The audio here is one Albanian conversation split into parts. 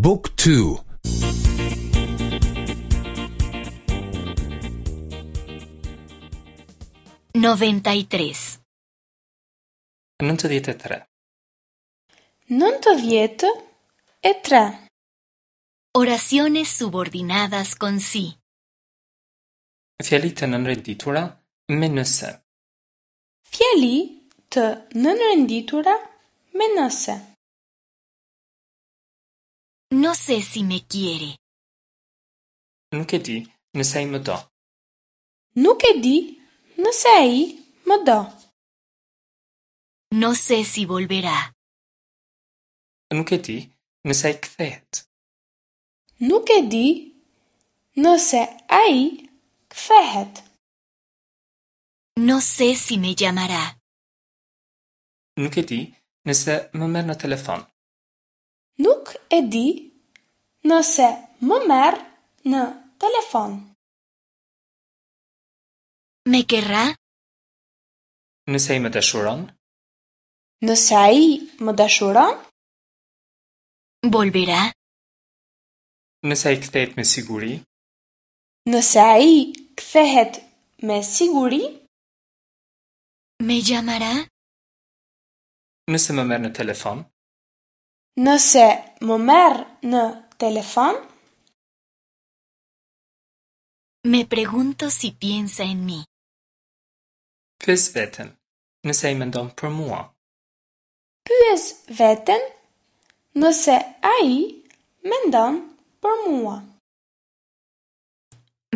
บุ๊กทู 93. 93. 93. Oraciones subordinadas con si. Fjali të nënrenditura me nëse. Fjali të nënrenditura me nëse. No sé si me quiere. Nuk e di nëse ai më do. Nuk e di nëse ai më do. No sé si volverá. Nuk e di nëse ai kthehet. Nuk e di nëse ai kthehet. No sé si me llamará. Nuk e di nëse më merr në telefon. Nuk e di nëse më merr në telefon. Me querrá? Nëse ai më dashuron, Nëse ai më dashuron, Volverá? nëse ai kthehet me siguri, nëse ai kthehet me siguri, Me llamará? nëse më merr në telefon, nëse më merr në telefon, Me pregunto si piensa en mí. pyes veten, nëse ai mendon për mua. pyes veten nëse ai mendon për mua.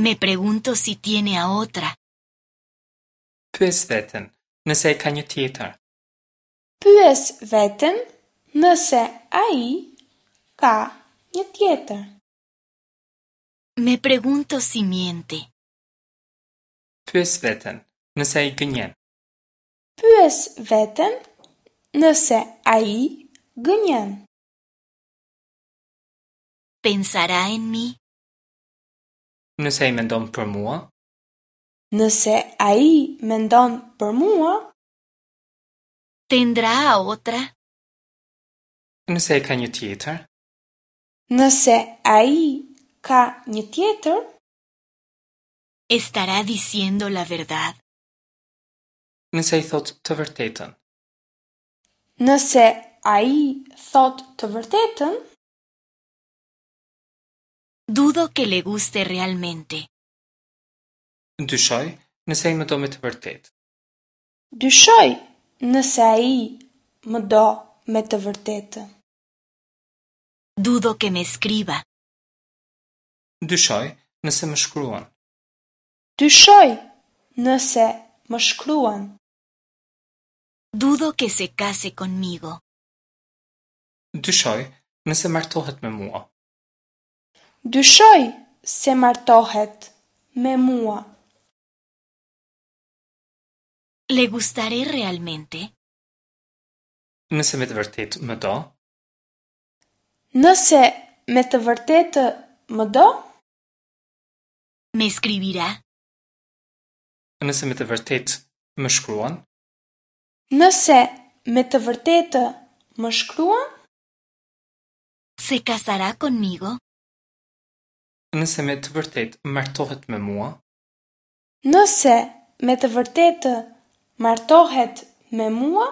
Me pregunto si tiene a otra. Pyes veten, nëse ai ka një tjetër. Pyes veten nëse ai ka një tjetër. Me pregunto si miente. Pyes veten, nëse ai gënjen. Pyes veten nëse ai gënjen. ¿Pensará en mí? Nëse ai mendon për mua, Nëse ai mendon për mua, ¿Tendrá a otra? nëse ai ka një tjetër, nëse ai ka një tjetër, ¿Estará diciendo la verdad? nëse ai thotë të vërtetën. nëse ai thotë të vërtetën, Dudo que le guste realmente. Dyshoj nëse ai më do me të vërtetë. dyshoj nëse ai më do me të vërtetë. Dudo que me escriba. Dyshoj nëse më shkruan. Dyshoj nëse më shkruan. Dudo que se case conmigo. Dyshoj nëse martohet me mua. Dyshoj se martohet me mua. ¿Le gustaré realmente? Nëse me të vërtetë më do, Nëse me të vërtetë më do, ¿Me escribirá? nëse me të vërtetë më shkruan, nëse me të vërtetë më shkruan, ¿Se casará conmigo? nëse me të vërtetë martohet me mua, nëse me të vërtetë martohet me mua,